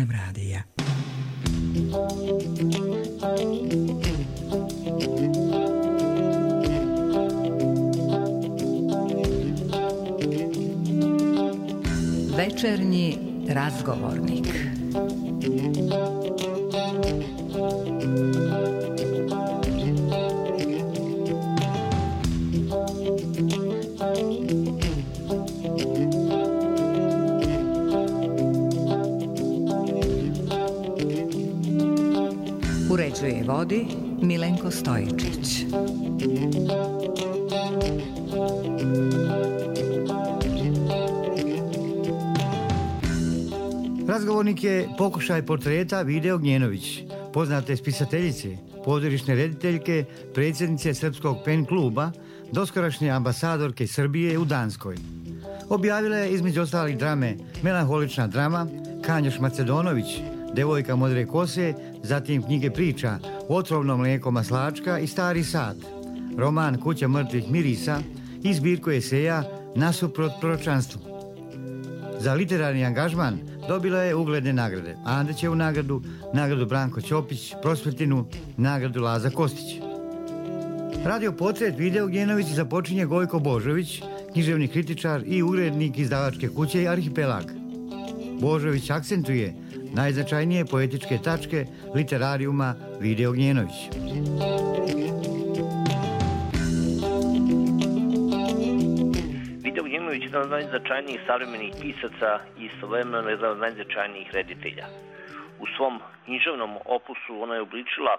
Web radija. Večernji razgovornik. Uređuje i vodi Milenko Stojičić. Razgovornik je pokušaj portreta Vide Ognjenović, poznate spisateljice, pozorišne rediteljke, predsjednice Srpskog pen kluba, doskorašnje ambasadorke Srbije u Danskoj. Objavila je između ostalih drame Melanholična drama, Kanjoš Macedonović, Devojka modre kose, zatim knjige priča Otrovno mlijeko maslačka i Stari sat, roman Kuća mrtvih mirisa i zbirku eseja Nasuprot proročanstvu. Za literarni angažman dobila je ugledne nagrade: Andrićevu nagradu, nagradu Branko Ćopić, Prosvetinu, nagradu Laza Kostić. Radio portret Vide Ognjenović započinje Gojko Božović, književni kritičar i urednik izdavačke kuće Arhipelag. Božović akcentuje najznačajnije poetičke tačke literarijuma Vide Ognjenović. Vide Ognjenović je jedan od najznačajnijih savremenih pisaca i istovremeno jedan od najznačajnijih reditelja. U svom književnom opusu ona je obličila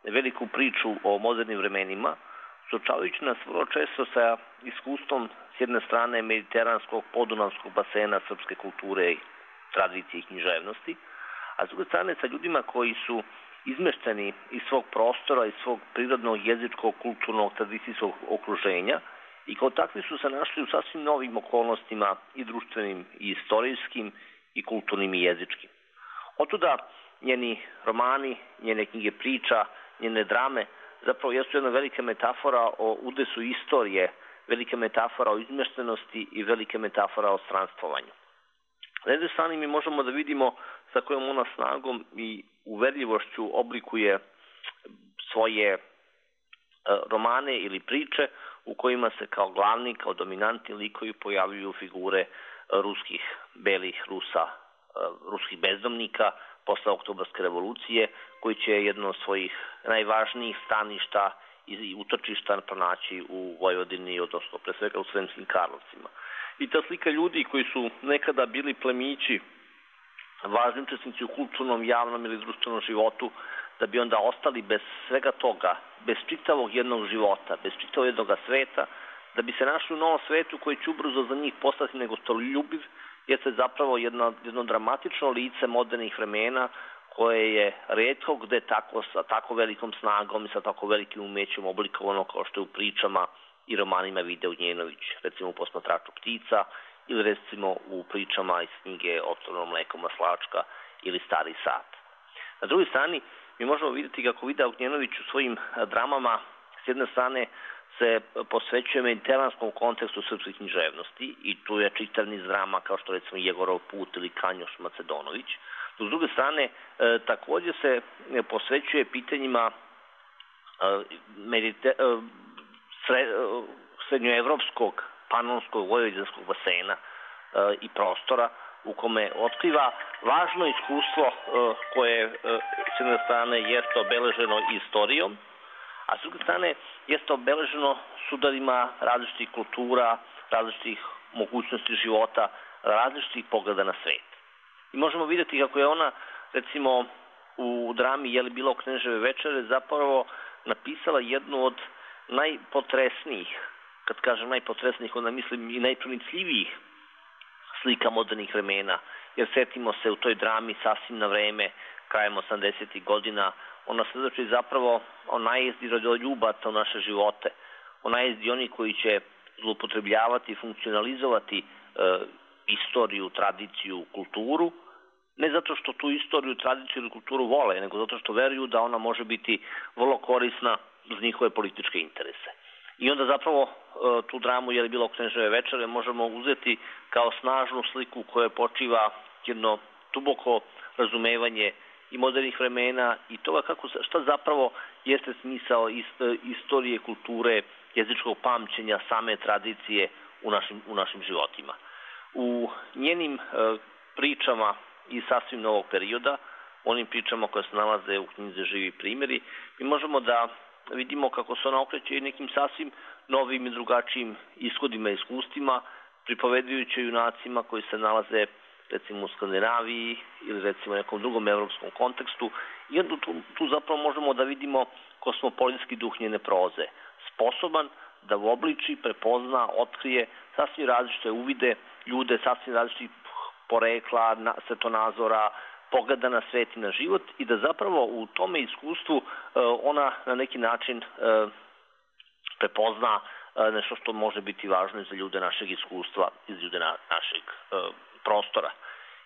veliku priču o modernim vremenima, suočavajući nas vrlo često sa iskustvom s jedne strane mediteranskog podunavskog basena srpske kulture, tradicije i književnosti, a s druge strane sa ljudima koji su izmešteni iz svog prostora, iz svog prirodnog, jezičkog, kulturnog, tradicijskog okruženja i kao takvi su se našli u sasvim novim okolnostima i društvenim, i istorijskim, i kulturnim, i jezičkim. Otuda njeni romani, njene knjige priča, njene drame zapravo jesu jedna velika metafora o udesu istorije, velika metafora o izmeštenosti i velika metafora o stranствованju. Na jednoj strani mi možemo da vidimo sa kojom ona snagom i uverljivošću oblikuje svoje romane ili priče u kojima se kao glavni, kao dominantni likovi pojavljuju figure ruskih belih Rusa, ruskih bezdomnika posle Oktobarske revolucije, koji će jedno od svojih najvažnijih staništa i utočišta pronaći u Vojvodini, odnosno pre svega u Sremskim Karlovcima. I ta slika ljudi koji su nekada bili plemići, važni učesnici u kulturnom, javnom ili društvenom životu, da bi onda ostali bez svega toga, bez čitavog jednog života, bez čitavog jednog sveta, da bi se našli u novom svetu koji će ubrzo za njih postati negostoljubiv, jeste zapravo jedno dramatično lice modernih vremena koje je retko gde tako, sa tako velikom snagom i sa tako velikim umećem oblikovano kao što je u pričama i romanima Vide Ognjenović, recimo u Posmatraču ptica ili recimo u pričama iz knjige Otrovno mlijeko maslačka ili Stari sat. Na drugoj strani mi možemo vidjeti kako Vide Ognjenović u svojim dramama s jedne strane se posvećuje mediteranskom kontekstu srpske književnosti i tu je čitav niz drama kao što recimo Jegorov put ili Kanjoš Macedonović. S druge strane također se posvećuje pitanjima srednjoevropskog, panonskog, vojvođanskog basena i prostora u kome otkriva važno iskustvo koje s jedne strane jeste obeleženo istorijom, a s druge strane jeste obeleženo sudarima različitih kultura, različitih mogućnosti života, različitih pogleda na svet. I možemo vidjeti kako je ona, recimo, u drami Je li bilo Kneževe večere zapravo napisala jednu od najpotresnijih, kad kažem najpotresnijih, onda mislim i najpronicljivijih slika modernih vremena, jer setimo se u toj drami Sasvim na vreme, krajem 80. godina, ona svedoči zapravo o najezdi rodoljubaca u naše živote, o najezdi oni koji će zloupotrebljavati i funkcionalizovati istoriju, tradiciju, kulturu, ne zato što tu istoriju, tradiciju ili kulturu vole, nego zato što veruju da ona može biti vrlo korisna uz njihove političke interese. I onda zapravo tu dramu Je li bilo Kneževe večere možemo uzeti kao snažnu sliku koja počiva jedno duboko razumevanje i modernih vremena i toga šta zapravo jeste smisao istorije, kulture, jezičkog pamćenja, same tradicije u našim životima. U njenim pričama iz sasvim novog perioda, onim pričama koje se nalaze u knjizi Živi primjeri, mi možemo da vidimo kako se ona okreće i nekim sasvim novim i drugačijim ishodima i iskustvima, pripovedujući junacima koji se nalaze recimo u Skandinaviji ili recimo u nekom drugom evropskom kontekstu. I onda tu zapravo možemo da vidimo kosmopolitski duh njene proze, sposoban da uobliči, prepozna, otkrije sasvim različite uvide, ljude sasvim različitih porekla, svetonazora, pogleda na svet i na život i da zapravo u tome iskustvu ona na neki način prepozna nešto što može biti važno i za ljude našeg iskustva i za ljude našeg prostora.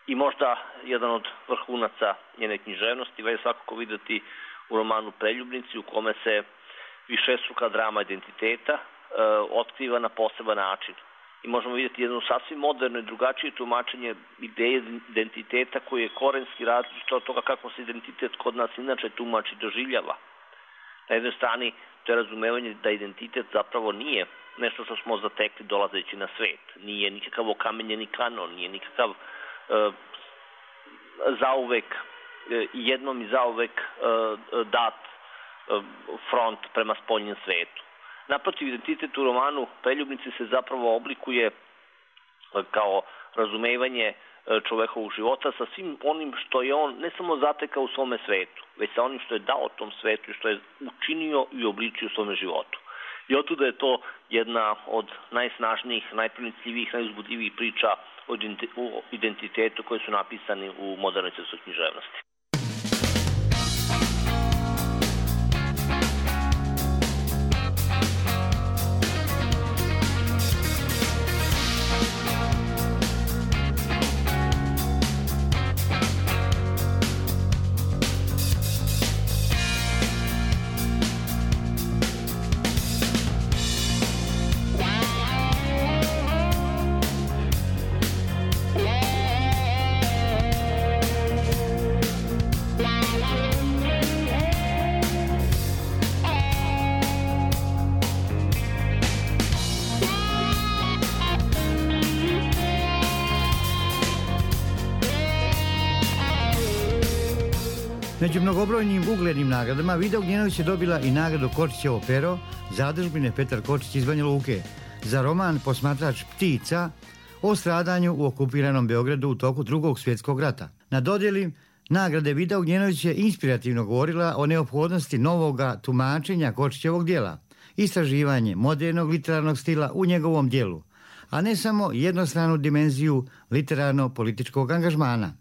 I možda jedan od vrhunaca njene književnosti je svakako videti u romanu Preljubnici, u kome se višestruka drama identiteta otkriva na poseban način. I možemo vidjeti jedno sasvim moderno i drugačije tumačenje ideje identiteta koji je korenski različit od toga kako se identitet kod nas inače tumači i doživljava. Na jednoj strani to je razumevanje da identitet zapravo nije nešto što smo zatekli dolazeći na svet. Nije nikakav okamenjeni kanon, nije nikakav zauvek, jednom i zauvek dat front prema spoljnjem svetu. Naprotiv, identitet u romanu Preljubnici se zapravo oblikuje kao razumevanje čovekovog života sa svim onim što je on ne samo zatekao u svome svetu, već sa onim što je dao tom svetu i što je učinio i obličio u svome životu. I otuda je to jedna od najsnažnijih, najpronicljivijih, najuzbudljivijih priča o identitetu koji su napisani u modernoj srpskoj književnosti. Među mnogobrojnim uglednim nagradama Vida Ognjenović je dobila i nagradu Kočićevo pero Zadužbine Petar Kočić iz Banja Luke za roman Posmatrač ptica o stradanju u okupiranom Beogradu u toku Drugog svjetskog rata. Na dodjeli nagrade Vida Ognjenović je inspirativno govorila o neophodnosti novoga tumačenja Kočićevog djela, istraživanje modernog literarnog stila u njegovom djelu, a ne samo jednostranu dimenziju literarno-političkog angažmana.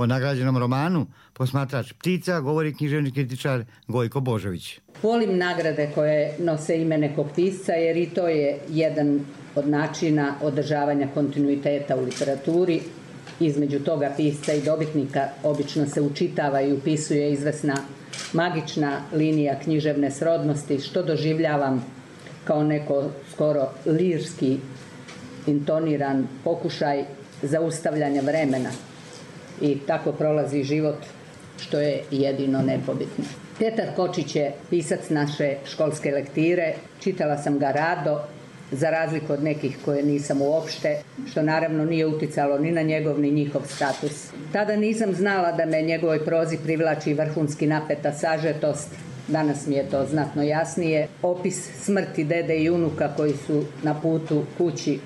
O nagrađenom romanu Posmatrač ptica govori književni kritičar Gojko Božović. Volim nagrade koje nose ime nekog pisca jer i to je jedan od načina održavanja kontinuiteta u literaturi. Između toga pisca i dobitnika obično se učitava i upisuje izvesna magična linija književne srodnosti, što doživljavam kao neko skoro lirski intoniran pokušaj zaustavljanja vremena. I tako prolazi život, što je jedino nepobitno. Petar Kočić je pisac naše školske lektire, čitala sam ga rado, za razliku od nekih koje nisam uopšte, što naravno nije uticalo ni na njegov ni njihov status. Tada nisam znala da me njegovoj prozi privlači vrhunski napeta sažetost, danas mi je to znatno jasnije. Opis smrti dede i unuka koji su na putu kući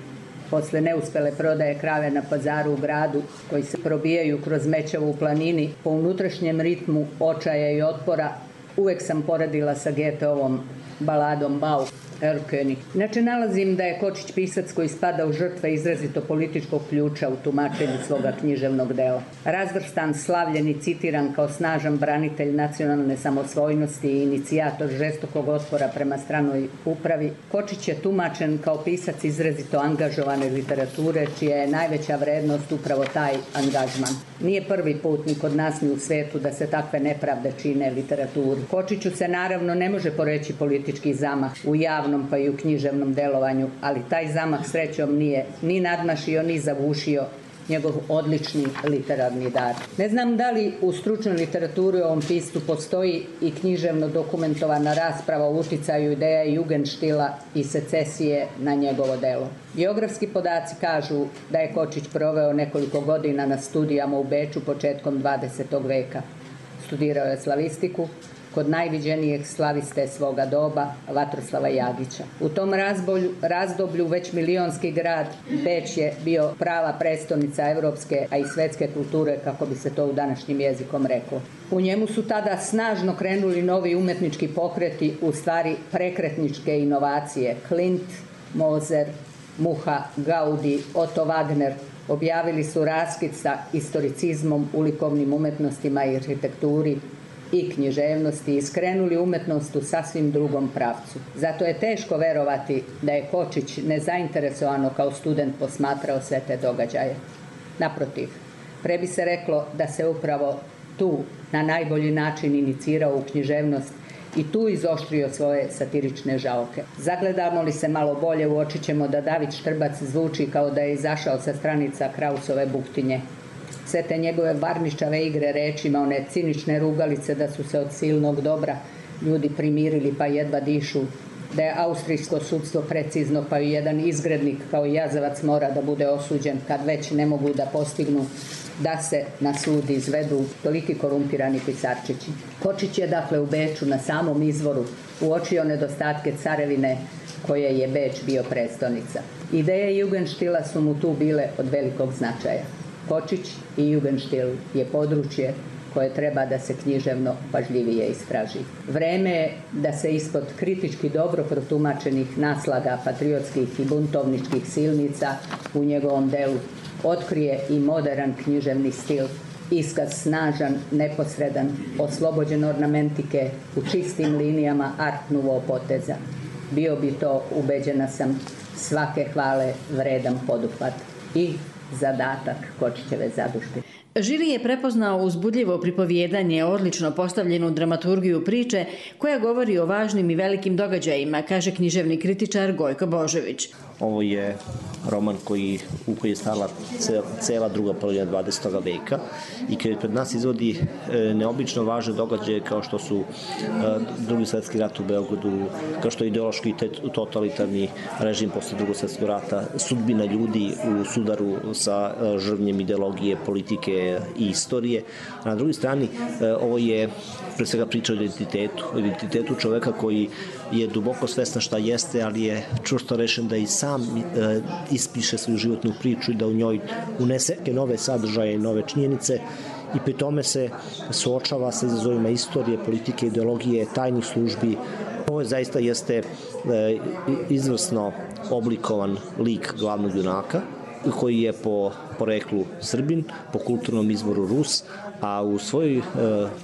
posle neuspele prodaje krave na pazaru u gradu, koji se probijaju kroz Mećevo u planini po unutrašnjem ritmu očaja i otpora, uvek sam poredila sa Goetheovom baladom Bauh, Erlkönig. Inače, nalazim da je Kočić pisac koji spada u žrtve izrazito političkog ključa u tumačenju svoga književnog dela. Razvrstan, slavljen i citiran kao snažan branitelj nacionalne samosvojnosti i inicijator žestokog otpora prema stranoj upravi, Kočić je tumačen kao pisac izrazito angažovane literature, čija je najveća vrednost upravo taj angažman. Nije prvi put ni kod nas ni u svetu da se takve nepravde čine literaturi. Kočiću se naravno ne može poreći politički zamah u javnom pa i u književnom delovanju, ali taj zamah srećom nije ni nadmašio ni zavušio njegov odlični literarni dar. Ne znam da li u stručnoj literaturi u ovom piscu postoji i književno dokumentovana rasprava o uticaju ideja Jugendstila i secesije na njegovo delo. Biografski podaci kažu da je Kočić proveo nekoliko godina na studijama u Beču početkom 20. veka. Studirao je slavistiku kod najviđenijeg slaviste svoga doba, Vatroslava Jagića. U tom razdoblju već milionski grad Beč je bio prava prestolnica evropske, a i svetske kulture, kako bi se to u današnjim jezikom reklo. U njemu su tada snažno krenuli novi umetnički pokreti, u stvari prekretničke inovacije. Klimt, Moser, Muha, Gaudi, Otto Wagner objavili su raskid sa historicizmom u likovnim umetnostima i arhitekturi i književnosti i skrenuli umetnost u sasvim drugom pravcu. Zato je teško verovati da je Kočić nezainteresovano kao student posmatrao sve te događaje. Naprotiv, pre bi se reklo da se upravo tu na najbolji način inicirao u književnost i tu izoštrio svoje satirične žaoke. Zagledamo li se malo bolje, uočit ćemo da David Štrbac zvuči kao da je izašao sa stranica Krausove Buktinje. Sve te njegove varničave igre rečima, one cinične rugalice da su se od silnog dobra ljudi primirili pa jedva dišu, da je austrijsko sudstvo precizno pa i jedan izgrednik kao jazavac mora da bude osuđen kad već ne mogu da postignu da se na sud izvedu toliki korumpirani pisarčići. Kočić je dakle u Beču na samom izvoru uočio nedostatke carevine koje je Beč bio prestolnica. Ideje Jugendstila su mu tu bile od velikog značaja. Kočić i Jugendstil je područje koje treba da se književno pažljivije istraži. Vreme je da se ispod kritički dobro protumačenih naslaga patriotskih i buntovničkih silnica u njegovom delu otkrije i modern književni stil, iskaz snažan, neposredan, oslobođen ornamentike, u čistim linijama art nouveau poteza. Bio bi to, ubeđena sam, svake hvale vredan poduhvat i zadatak Kočićeve zadužbe. Žiri je prepoznao uzbudljivo pripovijedanje, odlično postavljenu dramaturgiju priče koja govori o važnim i velikim događajima, kaže književni kritičar Gojko Božović. Ovo je roman u koji je stala cela druga polovina 20. veka i koji pred nas izvodi neobično važne događaje kao što su Drugi svjetski rat u Beogradu, kao što je ideološki i totalitarni režim posle Drugog svjetskog rata, sudbina ljudi u sudaru sa žrvnjem ideologije, politike i istorije. A na drugoj strani ovo je pre svega priča o identitetu čoveka koji je duboko svestan šta jeste, ali je čvrsto rešen da i sam ispiše svoju životnu priču i da u njoj unese nove sadržaje i nove činjenice i pri tome se suočava sa izazovima istorije, politike, ideologije, tajnih službi. Ovo zaista jeste izvrsno oblikovan lik glavnog junaka koji je po poreklu Srbin, po kulturnom izvoru Rus, a u svojoj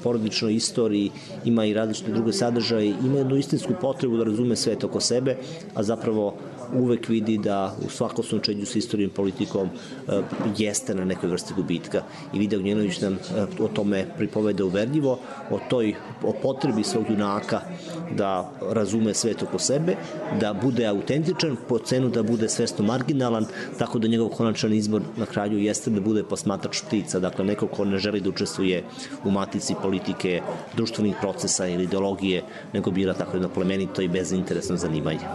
porodičnoj istoriji ima i različite druge sadržaje, ima jednu istinsku potrebu da razume svet oko sebe, a zapravo uvek vidi da u svakom slučaju sa istorijom i politikom jeste na nekoj vrsti gubitka. I Vida Ognjenović nam o tome pripoveda uverljivo, o potrebi svog junaka da razume svet oko sebe, da bude autentičan, po cenu da bude svesno marginalan, tako da njegov konačan izbor na kraju jeste da bude posmatrač ptica, dakle neko ko ne želi da učestvuje u matici politike, društvenih procesa ili ideologije, nego bira tako jedno plemenito i bezinteresno zanimanje.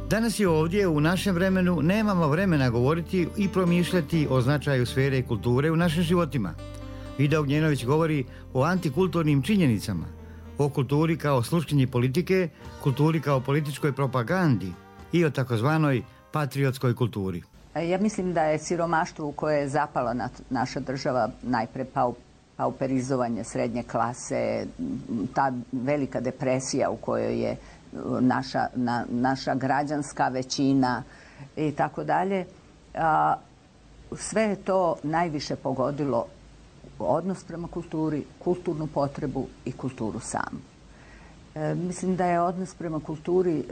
Danas i ovdje u našem vremenu nemamo vremena govoriti i promišljati o značaju sfere kulture u našim životima. Vida Ognjenović govori o antikulturnim činjenicama, o kulturi kao sluškinji politike, kulturi kao političkoj propagandi i o takozvanoj patriotskoj kulturi? Ja mislim da je siromaštvo u koje je zapala naša država najpre pauperizovanje srednje klase, ta velika depresija u kojoj je naša građanska većina i tako dalje. Sve je to najviše pogodilo odnos prema kulturi, kulturnu potrebu i kulturu samu. Mislim da je odnos prema kulturi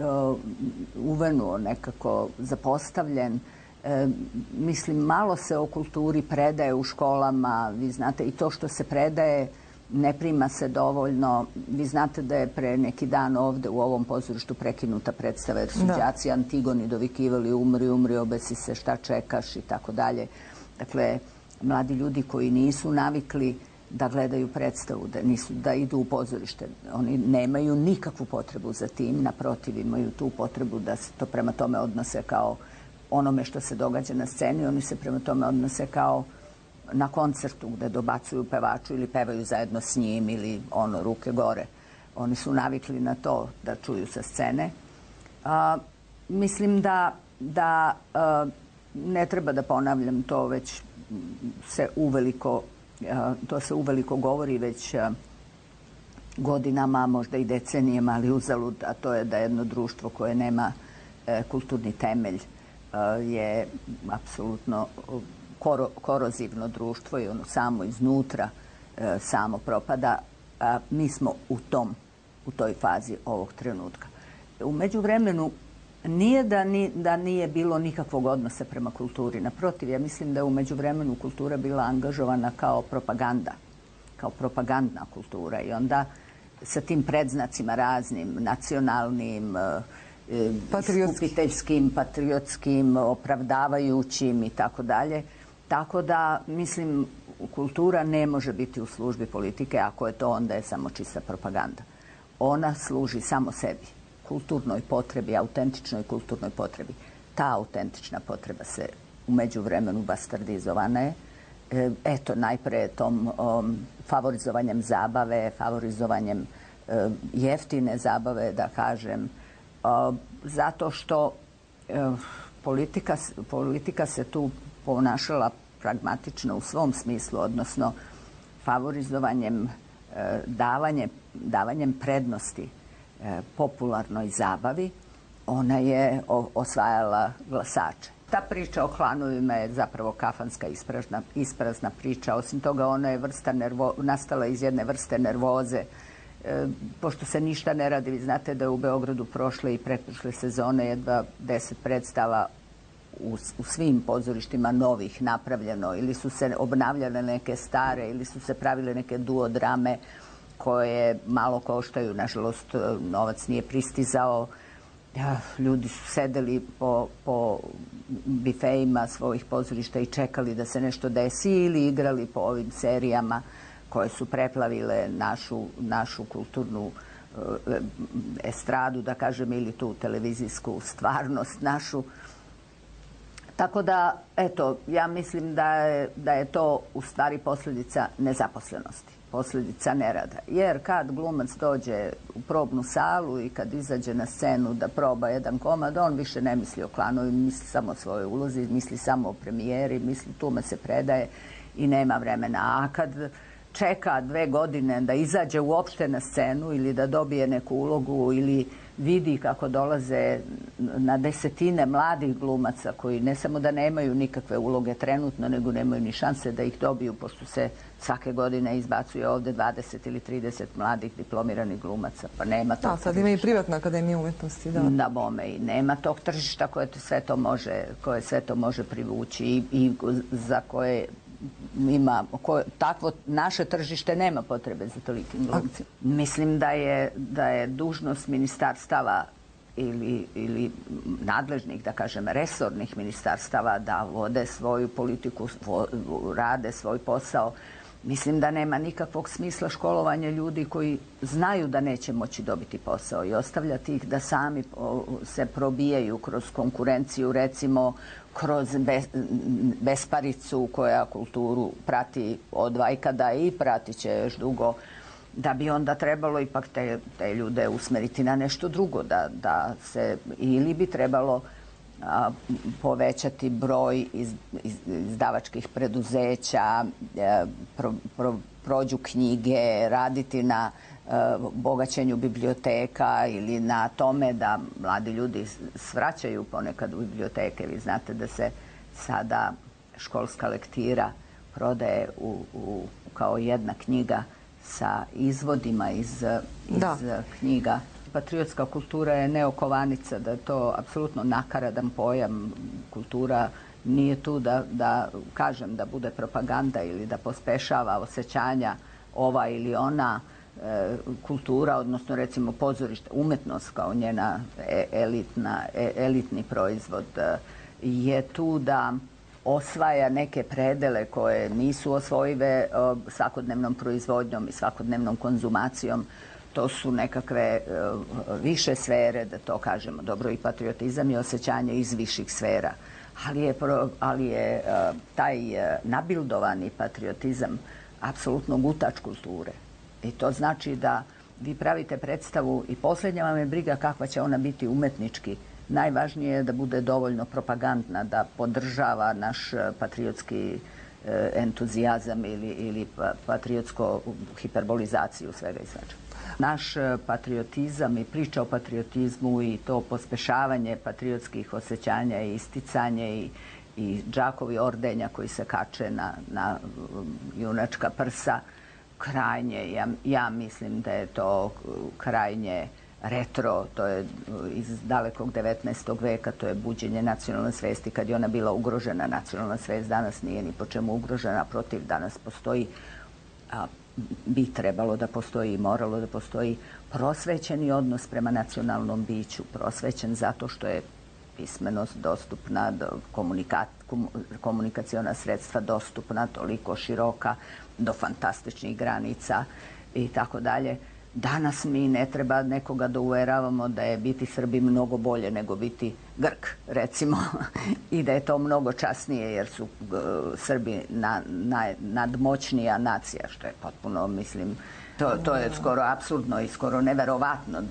uvenuo, nekako zapostavljen. Mislim, malo se o kulturi predaje u školama, vi znate, i to što se predaje ne prima se dovoljno. Vi znate da je pre neki dan ovde u ovom pozorištu prekinuta predstava jer su đaci Antigoni dovikivali umri, obesi se, šta čekaš i tako dalje. Dakle, mladi ljudi koji nisu navikli da gledaju predstavu, da idu u pozorište. Oni nemaju nikakvu potrebu za tim, naprotiv imaju tu potrebu da se to prema tome odnose kao onome što se događa na sceni, oni se prema tome odnose kao na koncertu gde dobacuju pevaču ili pevaju zajedno s njim ili ruke gore. Oni su navikli na to da čuju sa scene. Mislim da ne treba da ponavljam to, već se uveliko govori već godinama, možda i decenijama, ali uzalud, a to je da jedno društvo koje nema kulturni temelj je apsolutno korozivno društvo i ono samo iznutra samo propada. Mi smo u toj fazi ovog trenutka. U međuvremenu nije da nije bilo nikakvog odnosa prema kulturi. Naprotiv, ja mislim da je u međuvremenu kultura bila angažovana kao propaganda, kao propagandna kultura i onda sa tim predznacima raznim, nacionalnim, skupiteljskim, patriotskim, opravdavajućim i tako dalje. Tako da, mislim, kultura ne može biti u službi politike, ako je to, onda je samo čista propaganda. Ona služi samo sebi, kulturnoj potrebi, autentičnoj kulturnoj potrebi. Ta autentična potreba se u međuvremenu bastardizovana je. Eto, najpre tom favorizovanjem zabave, favorizovanjem jeftine zabave, da kažem, zato što politika se tu ponašala pragmatično u svom smislu, odnosno favorizovanjem, davanjem prednosti popularnoj zabavi, ona je osvajala glasače. Ta priča o klanovima je zapravo kafanska isprazna priča. Osim toga, ona je nastala iz jedne vrste nervoze. Pošto se ništa ne radi, vi znate da je u Beogradu prošle i pretprošle sezone jedva 10 predstava u svim pozorištima novih napravljeno, ili su se obnavljale neke stare, ili su se pravile neke duodrame koje malo koštaju. Nažalost, novac nije pristizao. Ljudi su sedeli po bifejima svojih pozorišta i čekali da se nešto desi ili igrali po ovim serijama koje su preplavile našu kulturnu estradu, da kažem, ili tu televizijsku stvarnost našu. Tako da, eto, ja mislim da je to u stvari posljedica nezaposlenosti, posljedica nerada. Jer kad glumac dođe u probnu salu i kad izađe na scenu da proba jedan komad, on više ne misli o klanovi, misli samo o svojoj ulozi, misli samo o premijeri, misli tume se predaje i nema vremena. A kad čeka 2 godine da izađe uopšte na scenu ili da dobije neku ulogu ili vidi kako dolaze na desetine mladih glumaca koji ne samo da nemaju nikakve uloge trenutno, nego nemaju ni šanse da ih dobiju, pošto se svake godine izbacuje ovde 20 ili 30 mladih diplomiranih glumaca, pa nema tog tržišta. Sad ima i privatna akademija umetnosti, da. Da, bome, i nema tog tržišta koje sve to može privući i za koje takvo naše tržište nema potrebe za tolikim glumcima. Mislim da je dužnost ministarstava ili nadležnih, da kažem, resornih ministarstava da vode svoju politiku, rade svoj posao. Mislim da nema nikakvog smisla školovanja ljudi koji znaju da neće moći dobiti posao i ostavljati ih da sami se probijaju kroz konkurenciju, recimo kroz besparicu koja kulturu prati od vajkada i pratit će još dugo, da bi onda trebalo ipak te ljude usmeriti na nešto drugo, da se, ili bi trebalo povećati broj izdavačkih preduzeća, prođu knjige, raditi na bogaćenju biblioteka ili na tome da mladi ljudi svraćaju ponekad u biblioteke. Vi znate da se sada školska lektira prodaje kao jedna knjiga sa izvodima iz knjiga. Patriotska kultura je neokovanica, da je to apsolutno nakaradan pojam. Kultura nije tu da kažem da bude propaganda ili da pospešava osjećanja ova ili ona. Kultura, odnosno recimo pozorište, umetnost kao njena elitni proizvod je tu da osvaja neke predele koje nisu osvojive svakodnevnom proizvodnjom i svakodnevnom konzumacijom. To su nekakve više sfere, da to kažemo. Dobro, i patriotizam je osjećanje iz viših sfera. Ali je taj nabildovani patriotizam apsolutno gutač kulture. I to znači da vi pravite predstavu i posljednja vam je briga kakva će ona biti umetnički. Najvažnije je da bude dovoljno propagandna, da podržava naš patriotski entuzijazam ili patriotsku hiperbolizaciju svega i svačega. Naš patriotizam i priča o patriotizmu i to pospešavanje patriotskih osjećanja i isticanje i džakovi ordenja koji se kače na junačka prsa, krajnje, ja mislim da je to krajnje retro, to je iz dalekog 19. veka, to je buđenje nacionalne svesti kad je ona bila ugrožena. Nacionalna svest danas nije ni po čemu ugrožena, protiv, danas postoji, bi trebalo da postoji i moralo da postoji prosvećeni odnos prema nacionalnom biću, prosvećen zato što je pismenost dostupna, komunikaciona sredstva dostupna, toliko široka, do fantastičnih granica i tako dalje. Danas mi ne treba nekoga da uveravamo da je biti Srbi mnogo bolje nego biti Grk, recimo, i da je to mnogo časnije jer su Srbi nadmoćnija nacija, što je potpuno, mislim, to je skoro apsurdno i skoro neverovatno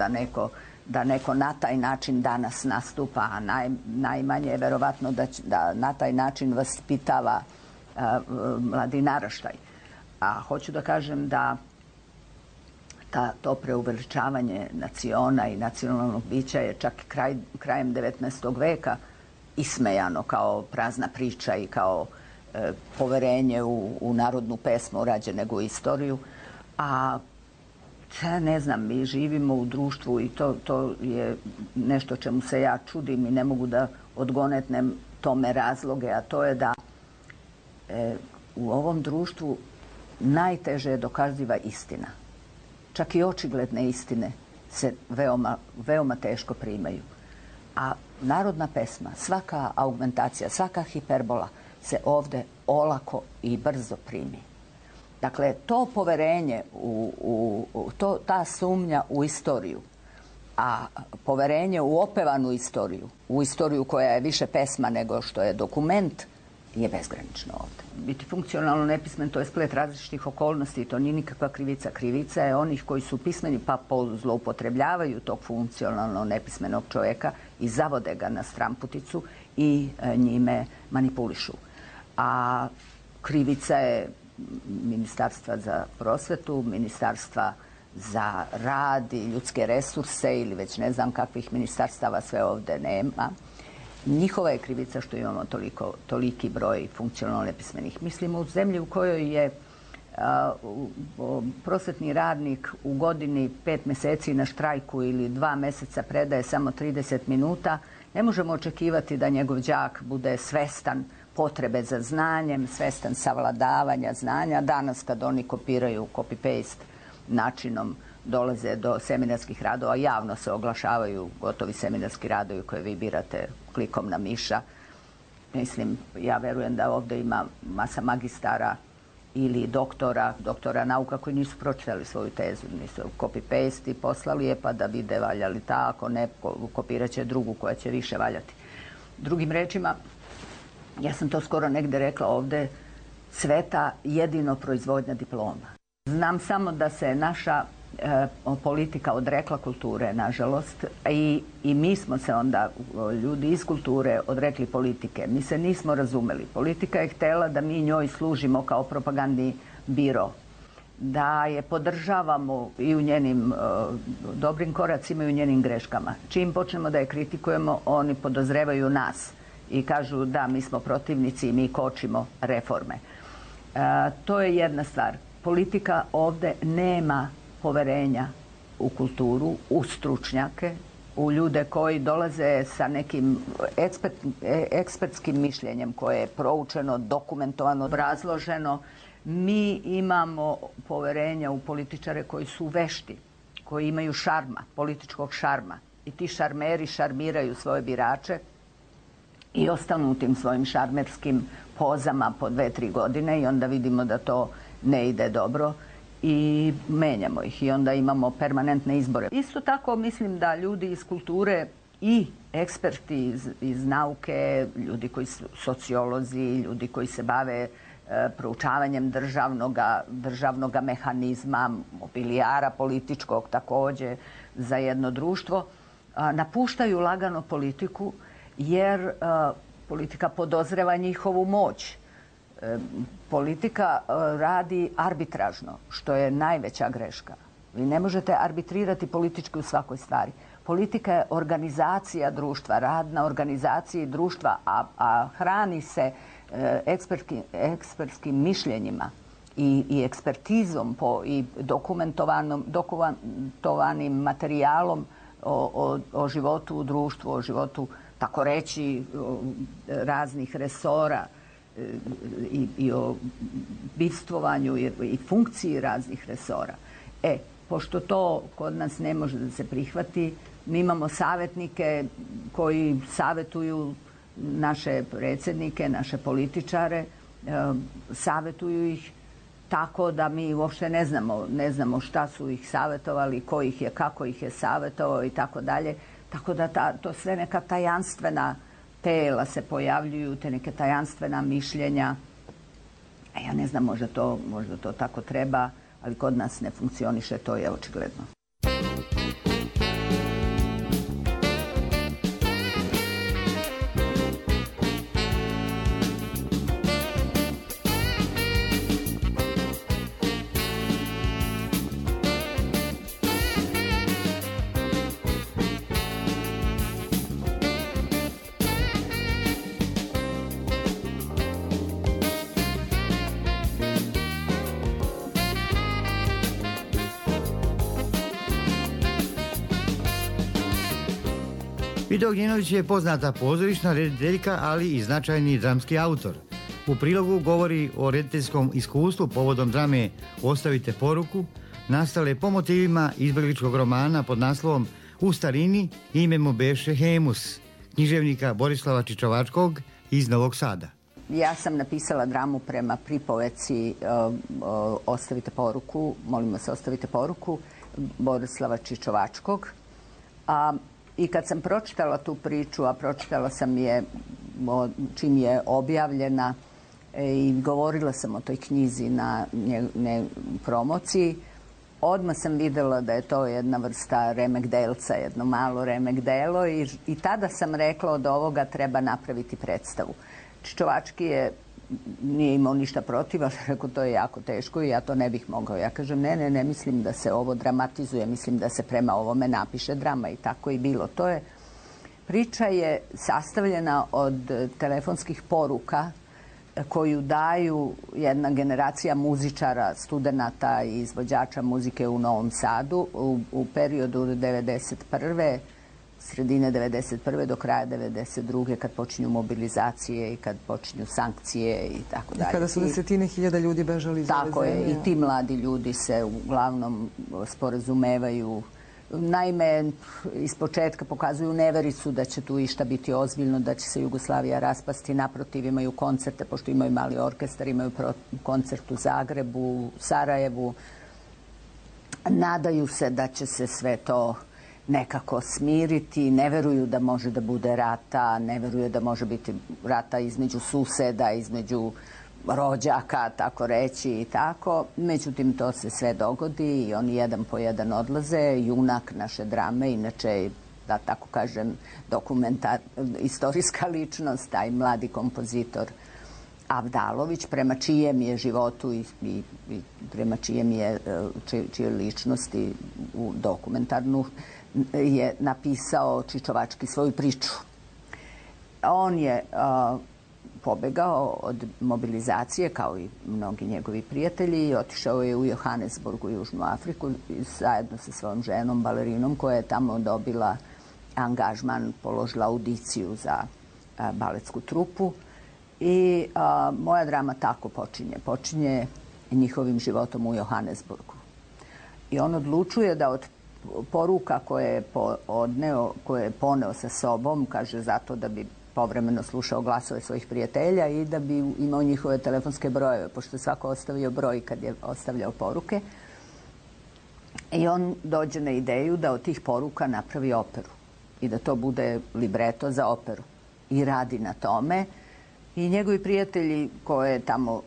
da neko na taj način danas nastupa, a najmanje je verovatno da na taj način vaspitava mladi naraštaj. A hoću da kažem da to preuveličavanje naciona i nacionalnog bića je čak krajem 19. veka ismejano kao prazna priča i kao poverenje u narodnu pesmu rađe nego u istoriju. A ne znam, mi živimo u društvu i to je nešto čemu se ja čudim i ne mogu da odgonetnem tome razloge, a to je da u ovom društvu najteže je dokaziva istina. Čak i očigledne istine se veoma teško primaju. A narodna pesma, svaka augmentacija, svaka hiperbola se ovde olako i brzo primi. Dakle, to poverenje, ta sumnja u istoriju, a poverenje u opevanu istoriju, u istoriju koja je više pesma nego što je dokument, je bezgranično ovde. Biti funkcionalno nepismen, to je splet različitih okolnosti i to nije nikakva krivica. Krivica je onih koji su pismeni pa zloupotrebljavaju tog funkcionalno nepismenog čoveka i zavode ga na stramputicu i njime manipulišu. A krivica je Ministarstva za prosvetu, Ministarstva za rad i ljudske resurse ili već ne znam kakvih ministarstava sve ovde nema. Njihova je krivica što imamo toliki broj funkcionalno nepismenih. Mislimo u zemlji u kojoj je prosvetni radnik u godini 5 meseci na štrajku ili 2 meseca predaje samo 30 minuta, ne možemo očekivati da njegov đak bude svestan potrebe za znanjem, svestan savladavanja znanja. Danas kad oni kopiraju copy-paste načinom dolaze do seminarskih radova, javno se oglašavaju gotovi seminarski radovi koje vi birate klikom na miša. Mislim, ja verujem da ovde ima masa magistara ili doktora nauka koji nisu pročitali svoju tezu, nisu copy-paste i poslali je pa da vide valja li ta, ako ne, kopirat će drugu koja će više valjati. Drugim rečima, ja sam to skoro negde rekla ovde, sveta jedino proizvodnja diploma. Znam samo da se naša politika odrekla kulture, nažalost, i mi smo se onda, ljudi iz kulture, odrekli politike. Mi se nismo razumeli. Politika je htjela da mi njoj služimo kao propagandni biro, da je podržavamo i u njenim dobrim koracima i u njenim greškama. Čim počnemo da je kritikujemo, oni podozrevaju nas i kažu da mi smo protivnici i mi kočimo reforme. To je jedna stvar. Politika ovde nema poverenja u kulturu, u stručnjake, u ljude koji dolaze sa nekim ekspertskim mišljenjem koje je proučeno, dokumentovano, obrazloženo. Mi imamo poverenja u političare koji su vešti, koji imaju šarma, političkog šarma. I ti šarmeri šarmiraju svoje birače i ostanu u tim svojim šarmerskim pozama po 2-3 godine i onda vidimo da to ne ide dobro i menjamo ih i onda imamo permanentne izbore. Isto tako mislim da ljudi iz kulture i eksperti iz nauke, ljudi koji su sociolozi, ljudi koji se bave proučavanjem državnog mehanizma, mobilijara političkog takođe za jedno društvo, napuštaju lagano politiku jer politika podozreva njihovu moć. Politika radi arbitražno, što je najveća greška. Vi ne možete arbitrirati politički u svakoj stvari. Politika je organizacija društva, rad na organizaciji društva, a hrani se ekspertskim mišljenjima i ekspertizom i dokumentovanim materijalom o životu u društvu, o životu, tako reći, raznih resora i o bivstvovanju i funkciji raznih resora. Pošto to kod nas ne može da se prihvati, mi imamo savjetnike koji savjetuju naše predsjednike, naše političare, savjetuju ih tako da mi uopšte ne znamo šta su ih savjetovali, ko ih je, kako ih je savjetovao i tako dalje. Tako da to sve neka tajanstvena tela se pojavljuju, te neke tajanstvena mišljenja. Ja ne znam, možda to tako treba, ali kod nas ne funkcioniše, to je očigledno. Vida Ognjenović je poznata pozorišna rediteljka, ali i značajni dramski autor. U prilogu govori o rediteljskom iskustvu povodom drame Ostavite poruku, nastale po motivima izbjegličkog romana pod naslovom U starini ime mu beše Hemus, književnika Borislava Čičovačkog iz Novog Sada. Ja sam napisala dramu prema pripoveci Ostavite poruku, molimo se Ostavite poruku, Borislava Čičovačkog. I kad sam pročitala tu priču, a pročitala sam je čim je objavljena i govorila sam o toj knjizi na promociji, odmah sam videla da je to jedna vrsta remek-delca, jedno malo remek-delo i tada sam rekla od ovoga treba napraviti predstavu. Čičovački nije imao ništa protiv, ali rekao to je jako teško i ja to ne bih mogao. Ja kažem ne mislim da se ovo dramatizuje, mislim da se prema ovome napiše drama i tako i bilo. Priča je sastavljena od telefonskih poruka koju daju jedna generacija muzičara, studenata i izvođača muzike u Novom Sadu u periodu 1991. sredine 1991. do kraja 1992. kad počinju mobilizacije i kad počinju sankcije i tako dalje. I kada su desetine hiljada ljudi bežali iz ove zemlje. Tako je, i ti mladi ljudi se uglavnom sporazumevaju. Naime, ispočetka pokazuju nevericu da će tu išta biti ozbiljno, da će se Jugoslavija raspasti. Naprotiv, imaju koncerte, pošto imaju mali orkestar, imaju koncert u Zagrebu, u Sarajevu. Nadaju se da će se sve to nekako smiriti, ne veruju da može da bude rata, ne veruju da može biti rata između suseda, između rođaka, tako reći i tako. Međutim, to se sve dogodi i oni jedan po jedan odlaze. Junak naše drame, inače, da tako kažem, istorijska ličnost, taj mladi kompozitor Avdalović, prema čijem je životu i prema čije ličnosti u dokumentarnu je napisao Čičovački svoju priču. On je pobegao od mobilizacije, kao i mnogi njegovi prijatelji, i otišao je u Johannesburg, u Južnu Afriku, zajedno sa svojom ženom, balerinom, koja je tamo dobila angažman, položila audiciju za baletsku trupu. I moja drama tako počinje. Počinje njihovim životom u Johannesburgu. I on odlučuje da od poruka koje je poneo sa sobom, kaže zato da bi povremeno slušao glasove svojih prijatelja i da bi imao njihove telefonske brojeve, pošto je svako ostavio broj kad je ostavljao poruke. I on dođe na ideju da od tih poruka napravi operu i da to bude libreto za operu. I radi na tome. I njegovi prijatelji koje je tamo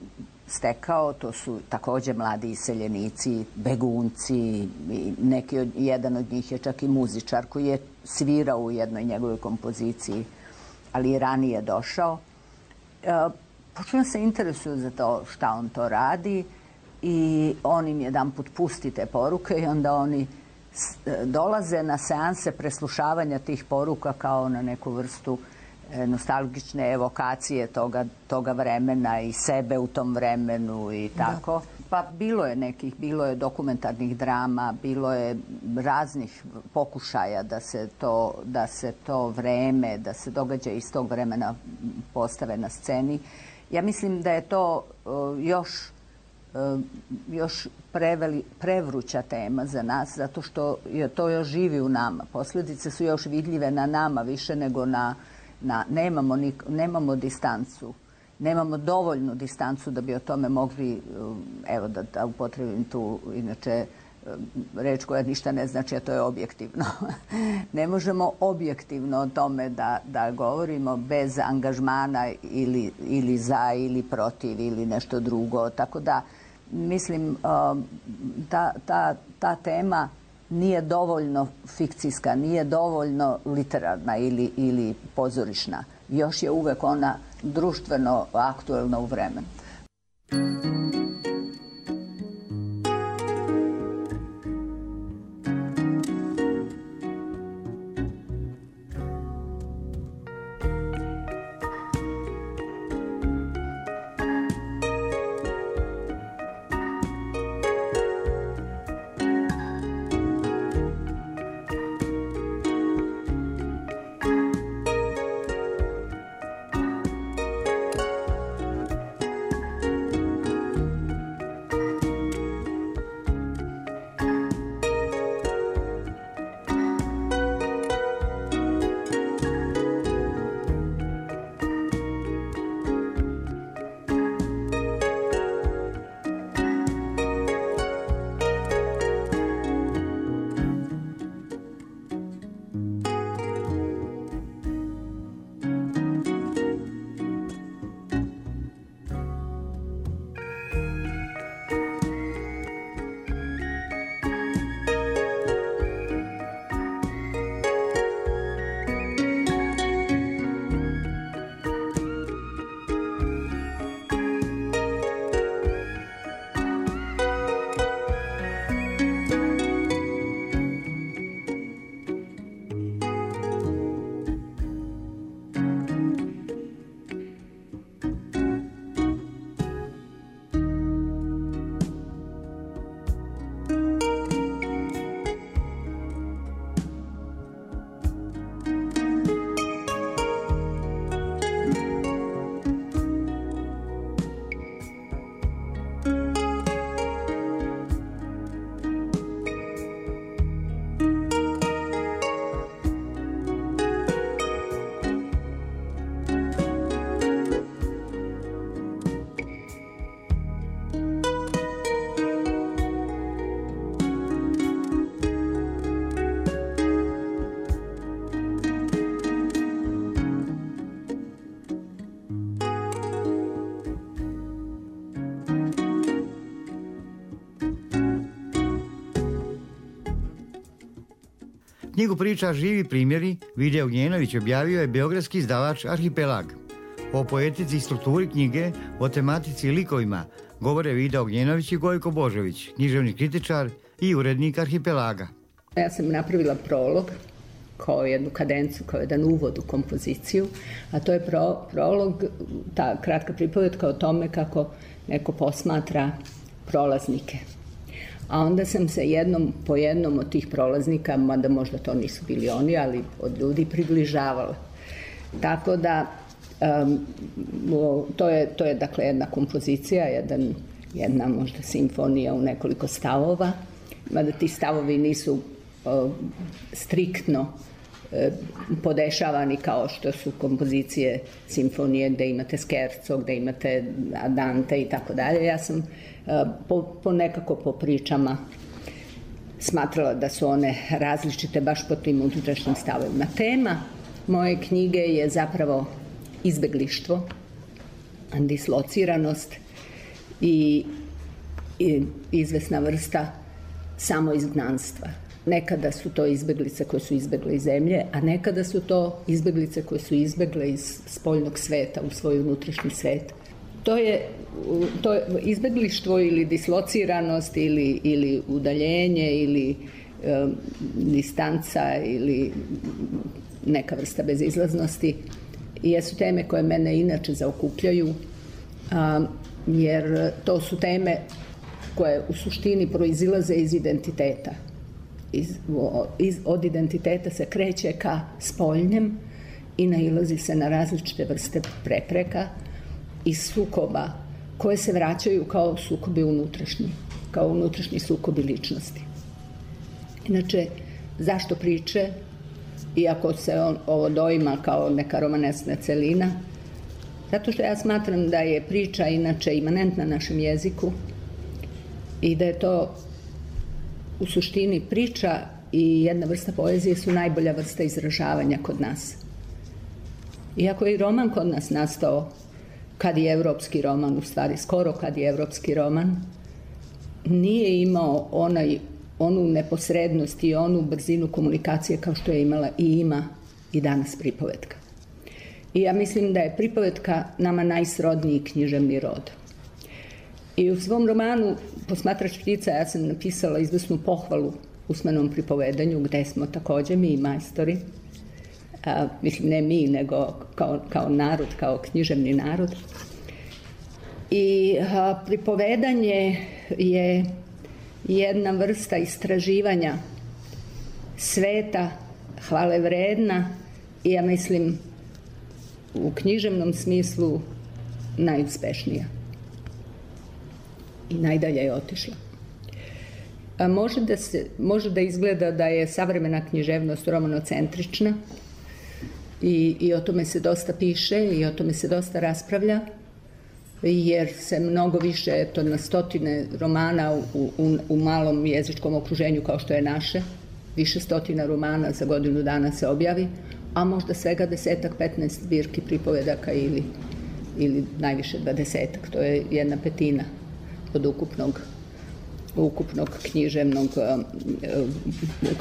stekao, to su takođe mladi iseljenici, begunci, jedan od njih je čak i muzičar koji je svirao u jednoj njegovoj kompoziciji, ali i ranije došao. Počeo se interesuju za to šta on to radi i on im jedan put pusti te poruke i onda oni dolaze na seanse preslušavanja tih poruka kao na neku vrstu nostalgične evokacije toga vremena i sebe u tom vremenu i tako. Pa bilo je dokumentarnih drama, bilo je raznih pokušaja da se to vreme, da se događaje iz tog vremena postave na sceni. Ja mislim da je to još prevruća tema za nas, zato što to još živi u nama. Posljedice su još vidljive na nama više nego nemamo distancu, nemamo dovoljnu distancu da bi o tome mogli, evo da upotrebim tu, inače, reč koja ništa ne znači, a to je objektivno. Ne možemo objektivno o tome da govorimo bez angažmana ili za ili protiv ili nešto drugo. Tako da, mislim, ta tema nije dovoljno fikcijska, nije dovoljno literarna ili pozorišna. Još je uvek ona društveno aktuelna u vremenu. Knjigu priča Živi primjeri Vide Ognjenović objavio je beogradski izdavač Arhipelag. O poetici i strukturi knjige, o tematici i likovima govore Vida Ognjenović i Gojko Božović, književni kritičar i urednik Arhipelaga. Ja sam napravila prolog kao jednu kadencu, kao jedan uvod u kompoziciju, a to je prolog, ta kratka pripovetka o tome kako neko posmatra prolaznike. A onda sam se po jednom od tih prolaznika, mada možda to nisu bili oni, ali od ljudi približavala. Tako da to je dakle jedna kompozicija, jedna možda simfonija u nekoliko stavova, mada ti stavovi nisu striktno podešavani kao što su kompozicije simfonije gde imate skerco, gde imate andante i tako dalje. Ja sam nekako po pričama smatrala da su one različite baš po tim unutrašnjim stavovima. Tema moje knjige je zapravo izbeglištvo, dislociranost i izvesna vrsta samoizgnanstva. Nekada su to izbeglice koje su izbegle iz zemlje, a nekada su to izbeglice koje su izbegle iz spoljnog sveta u svoj unutrašnji svet. To je izbeglištvo ili dislociranost ili udaljenje ili distanca ili neka vrsta bezizlaznosti jesu teme koje mene inače zaokupljaju, jer to su teme koje u suštini proizilaze iz identiteta. Od identiteta se kreće ka spoljnjem i nailazi se na različite vrste prepreka i sukoba koje se vraćaju kao sukobi unutrašnji, kao unutrašnji sukobi ličnosti. Inače, zašto priče, iako se ovo doima kao neka romanesna celina, zato što ja smatram da je priča inače imanentna našem jeziku i da je to u suštini priča i jedna vrsta poezije su najbolja vrsta izražavanja kod nas. Iako je i roman kod nas nastao kad je evropski roman, u stvari skoro kad je evropski roman, nije imao onu neposrednost i onu brzinu komunikacije kao što je imala i ima i danas pripovetka. I ja mislim da je pripovetka nama najsrodniji književni rod. I u svom romanu Posmatrač ptica ja sam napisala izvesnu pohvalu usmenom pripovedanju, gde smo takođe mi majstori, mislim ne mi, nego kao narod, kao književni narod. I pripovedanje je jedna vrsta istraživanja sveta, hvale vredna i ja mislim u književnom smislu najuspešnija. I najdalje je otišla. Može da izgleda da je savremena književnost romanocentrična i o tome se dosta piše i o tome se dosta raspravlja, jer se mnogo više, na stotine romana u malom jezičkom okruženju kao što je naše, više stotina romana za godinu dana se objavi, a možda svega 10-15 zbirki pripovedaka ili najviše 20-ak, to je 1/5 od ukupnog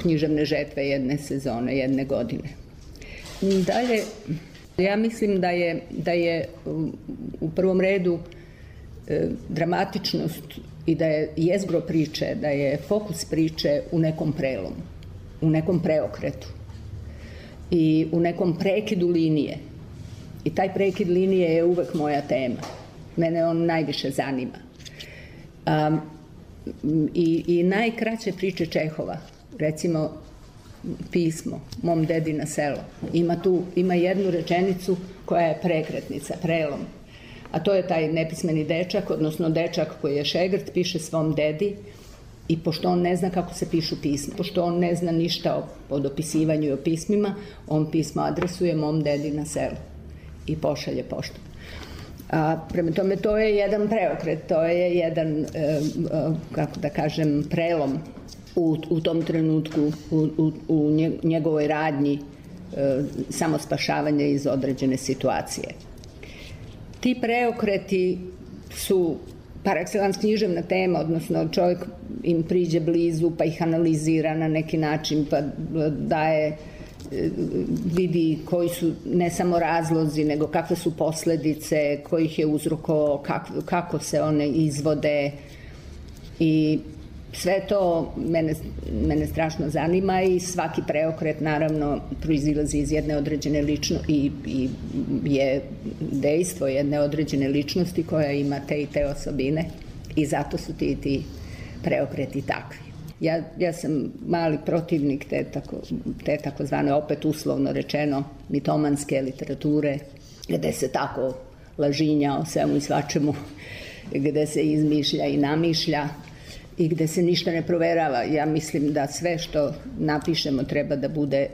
književne žetve jedne sezone, jedne godine. Dalje, ja mislim da je u prvom redu dramatičnost i da je jezgro priče, da je fokus priče u nekom prelomu, u nekom preokretu i u nekom prekidu linije. I taj prekid linije je uvek moja tema. Mene on najviše zanima. I najkraće priče Čehova, recimo pismo, Mom dedi na selo, ima jednu rečenicu koja je prekretnica, prelom. A to je taj nepismeni dečak, odnosno dečak koji je šegrt, piše svom dedi i pošto on ne zna kako se pišu pisma, pošto on ne zna ništa o dopisivanju i o pismima, on pismo adresuje Mom dedi na selo i pošalje poštom. Prema tome, to je jedan preokret, to je jedan, kako da kažem, prelom u tom trenutku, u njegovoj radnji samospašavanja iz određene situacije. Ti preokreti su par excellence književna tema, odnosno čovjek im priđe blizu, pa ih analizira na neki način, pa daje, vidi koji su ne samo razlozi, nego kakve su posledice, kojih je uzrokovao, kako se one izvode. I sve to mene strašno zanima i svaki preokret naravno proizilazi iz jedne određene ličnosti i je dejstvo jedne određene ličnosti koja ima te i te osobine i zato su ti preokreti takvi. Ja sam mali protivnik te takozvane, opet uslovno rečeno, mitomanske literature, gde se tako lažinja o svemu i svačemu, gde se izmišlja i namišlja i gde se ništa ne proverava. Ja mislim da sve što napišemo treba da bude,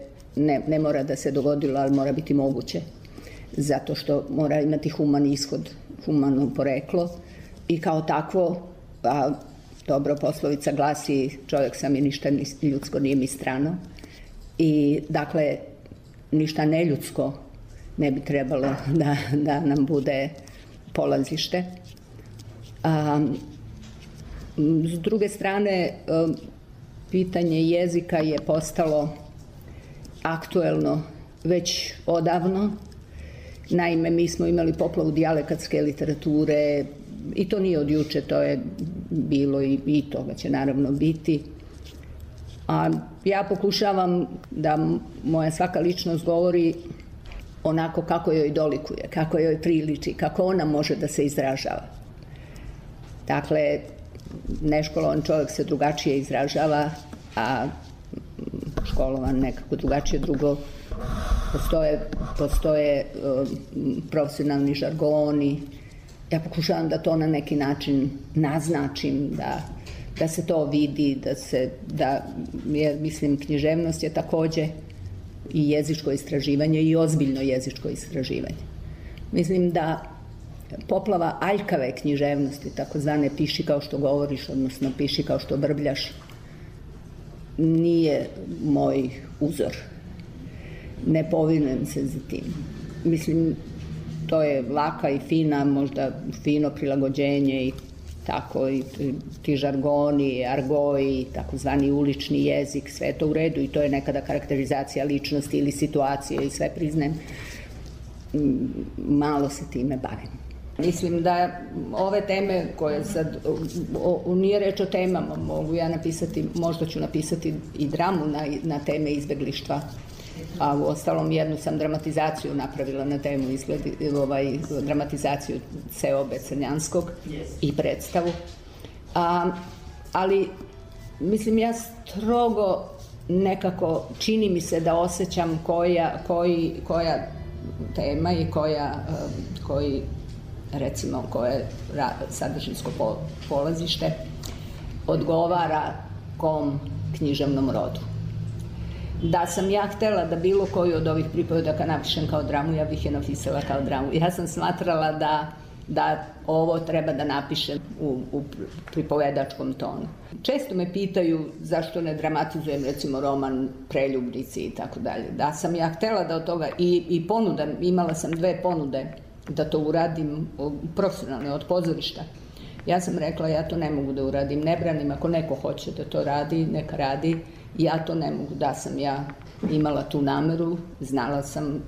ne mora da se dogodilo, ali mora biti moguće, zato što mora imati human ishod, humano poreklo i kao takvo, a dobro poslovica glasi čovjek sam i ništa ljudsko nije mi strano i dakle ništa neljudsko ne bi trebalo da nam bude polazište. S druge strane, pitanje jezika je postalo aktuelno već odavno. Naime, mi smo imali poplavu dijalekatske literature i to nije od juče, to je bilo i toga će naravno biti. A ja pokušavam da moja svaka ličnost govori onako kako joj dolikuje, kako joj priliči, kako ona može da se izražava. Dakle, neškolovan čovjek se drugačije izražava, a školovan nekako drugačije. Drugo, postoje profesionalni žargoni. Ja pokušavam da to na neki način naznačim, da se to vidi, jer mislim književnost je takođe i jezičko istraživanje i ozbiljno jezičko istraživanje. Mislim da poplava aljkave književnosti, takozvane piši kao što govoriš, odnosno piši kao što brbljaš, nije moj uzor. Ne povinujem se za tim. Mislim, to je laka i fina, možda fino prilagođenje i tako, i ti žargoni, argoji, takozvani ulični jezik, sve je to u redu i to je nekada karakterizacija ličnosti ili situacije i sve priznajem. Malo se time bavim. Mislim da ove teme koje sad, nije reč o temama, mogu ja napisati, možda ću napisati i dramu na teme izbeglištva, a u ostalom jednu sam dramatizaciju napravila na temu dramatizaciju Seobe Crnjanskog i predstavu. Ali, mislim, ja strogo nekako čini mi se da osjećam koja tema i koji recimo koje sadržinsko polazište odgovara kom književnom rodu. Da sam ja htela da bilo koju od ovih pripovedaka napišem kao dramu, ja bih je napisala kao dramu. Ja sam smatrala da ovo treba da napišem u pripovedačkom tonu. Često me pitaju zašto ne dramatizujem recimo roman Preljubnici i tako dalje. Da sam ja htela da od toga i ponudam, imala sam 2 ponude da to uradim profesionalno od pozorišta. Ja sam rekla ja to ne mogu da uradim, ne branim, ako neko hoće da to radi, neka radi, ja to ne mogu, da sam ja imala tu nameru,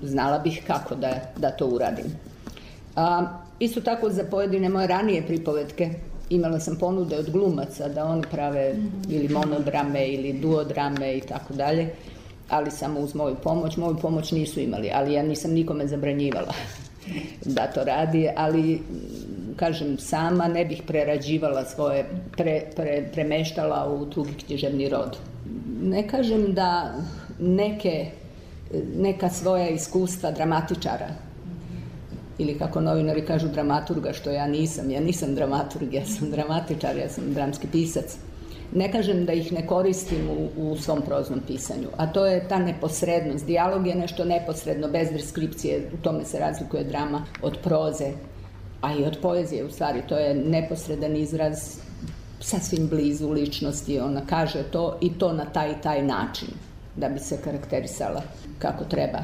znala bih kako da to uradim. Isto tako za pojedine moje ranije pripovetke imala sam ponude od glumaca da oni prave ili monodrame ili duodrame i tako dalje, ali samo uz moju pomoć nisu imali, ali ja nisam nikome zabranjivala da to radi, ali kažem, sama ne bih prerađivala svoje, premeštala u drugi književni rod. Ne kažem da neka svoja iskustva dramatičara, ili kako novinari kažu dramaturga, što ja nisam dramaturg, ja sam dramatičar, ja sam dramski pisac. Ne kažem da ih ne koristim u svom proznom pisanju, a to je ta neposrednost. Dijalog je nešto neposredno, bez deskripcije, u tome se razlikuje drama od proze, a i od poezije u stvari. To je neposredan izraz, sasvim blizu ličnosti, ona kaže to i to na taj i taj način, da bi se karakterisala kako treba.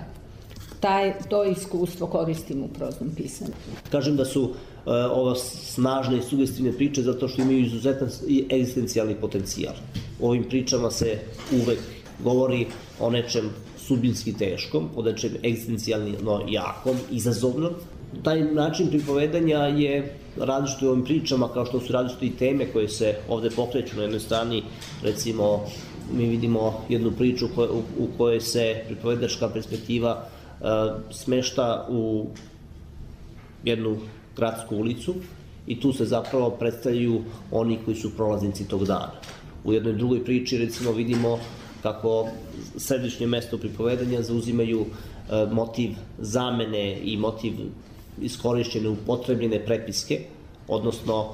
To iskustvo koristim u proznom pisanju. Kažem da su ova snažne i sugestivne priče zato što imaju izuzetan egzistencijalni potencijal. U ovim pričama se uvek govori o nečem sudbinski teškom, o nečem egzistencijalno jakom, izazovnom. Taj način pripovedanja je različito u ovim pričama, kao što su različite i teme koje se ovde pokreću. Na jednoj strani, recimo, mi vidimo jednu priču u kojoj se pripovedačka perspektiva smešta u jednu gradsku ulicu i tu se zapravo predstavljaju oni koji su prolaznici tog dana. U jednoj drugoj priči, recimo, vidimo kako središnje mesto pripovedanja zauzimaju motiv zamene i motiv iskorišćene upotrebljene prepiske, odnosno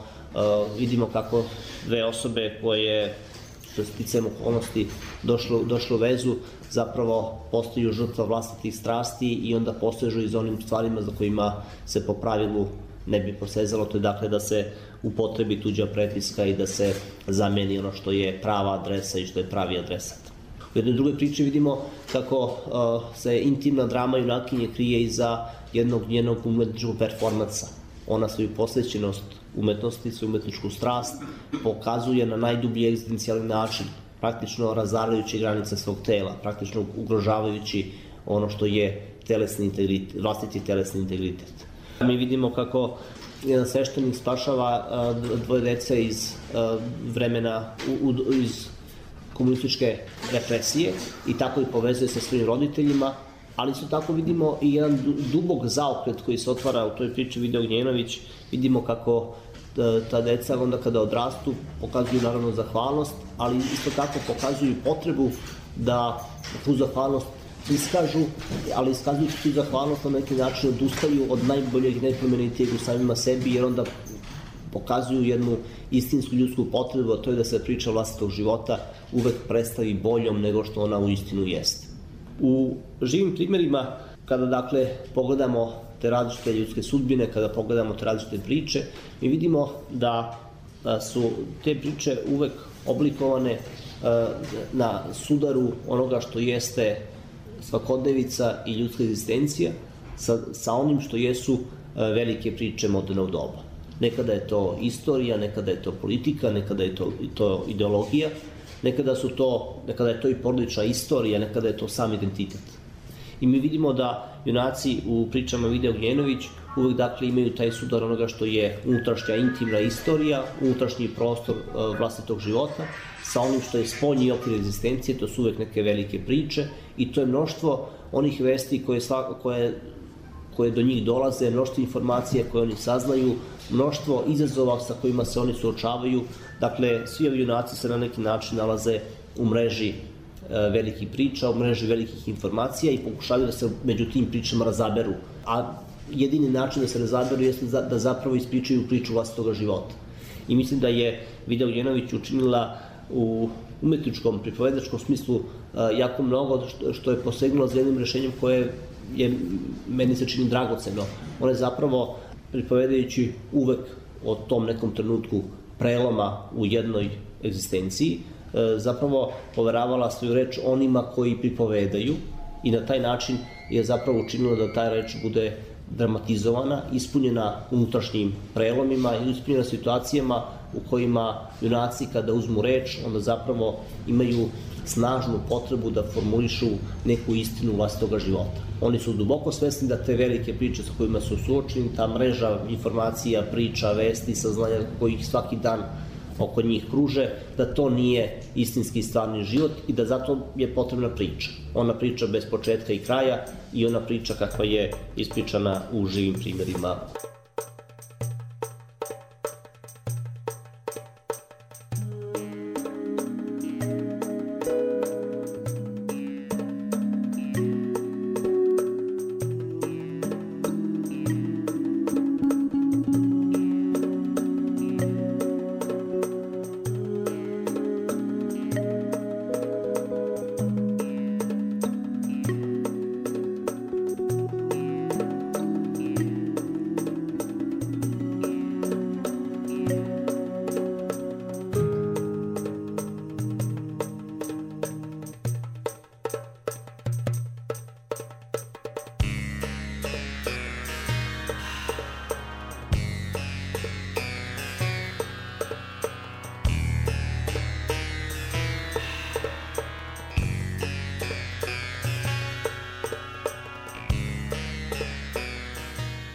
vidimo kako dve osobe koje su sticajem okolnosti došle u vezu zapravo postaju žrtva vlastitih strasti i onda posežu i za onim stvarima za kojima se po pravilu ne bi posezalo, to je dakle da se upotrebi tuđa prepiska i da se zameni ono što je prava adresa i što je pravi adresat. U jednoj drugoj priči vidimo kako se intimna drama junakinje krije iza jednog njenog umetničkog performansa. Ona svoju posvećenost umetnosti, svoju umetničku strast pokazuje na najdublji egzistencijalni način, praktično razarajući granice svog tela, praktično ugrožavajući ono što je vlastiti telesni integritet. Mi vidimo kako jedan sveštenik spašava dvoje dece iz vremena, iz komunističke represije i tako i povezuje sa svojim roditeljima, ali isto tako vidimo i jedan dubok zaokret koji se otvara u toj priči Video Gnjenović. Vidimo kako ta deca onda kada odrastu pokazuju naravno zahvalnost, ali isto tako pokazuju potrebu da tu zahvalnost iskažu, ali iskazujući tu zahvalnost na neki način odustaju od najboljeg i najplemenitijeg u samima sebi, jer onda pokazuju jednu istinsku ljudsku potrebu, a to je da se priča vlastitog života uvek predstavi boljom nego što ona u istinu jeste. U živim primerima, kada dakle pogledamo te različite ljudske sudbine, kada pogledamo te različite priče, mi vidimo da su te priče uvek oblikovane na sudaru onoga što jeste svakodnevica i ljudska egzistencija sa onim što jesu velike priče modernog doba. Nekada je to istorija, nekada je to politika, nekada je to ideologija, nekada je to i porodična istorija, nekada je to sam identitet. I mi vidimo da junaci u pričama Video Gnjenović uvek dakle imaju taj sudar onoga što je unutrašnja intimna istorija, unutrašnji prostor vlastitog života, sa onim što je spoljni okvir egzistencije, to su uvek neke velike priče i to je mnoštvo onih vesti koje do njih dolaze, mnoštvo informacija koje oni saznaju, mnoštvo izazova sa kojima se oni suočavaju. Dakle, svi ovi junaci se na neki način nalaze u mreži velikih priča, u mreži velikih informacija i pokušavaju da se među tim pričama razaberu. A jedini način da se razaberu jeste da zapravo ispričaju priču vlastitoga života. I mislim da je Video Gnjenović učinila u umetničkom, pripovedačkom smislu jako mnogo što je posegnula za jednim rešenjem koje je, meni se čini, dragoceno. Ona je zapravo, pripovedajući uvek o tom nekom trenutku preloma u jednoj egzistenciji, zapravo poveravala svoju reč onima koji pripovedaju i na taj način je zapravo učinila da ta reč bude dramatizovana, ispunjena unutrašnjim prelomima i ispunjena situacijama u kojima junaci kada uzmu reč onda zapravo imaju snažnu potrebu da formulišu neku istinu vlastitoga života. Oni su duboko svesni da te velike priče sa kojima su suočeni, ta mreža informacija, priča, vesti, saznanja kojih svaki dan oko njih kruže, da to nije istinski stvarni život i da zato je potrebna priča. Ona priča bez početka i kraja i ona priča kakva je ispričana u živim primerima.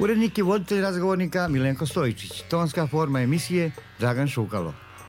Urednik i voditelj razgovornika Milenko Stojičić. Tonska forma emisije Dragan Šukalo.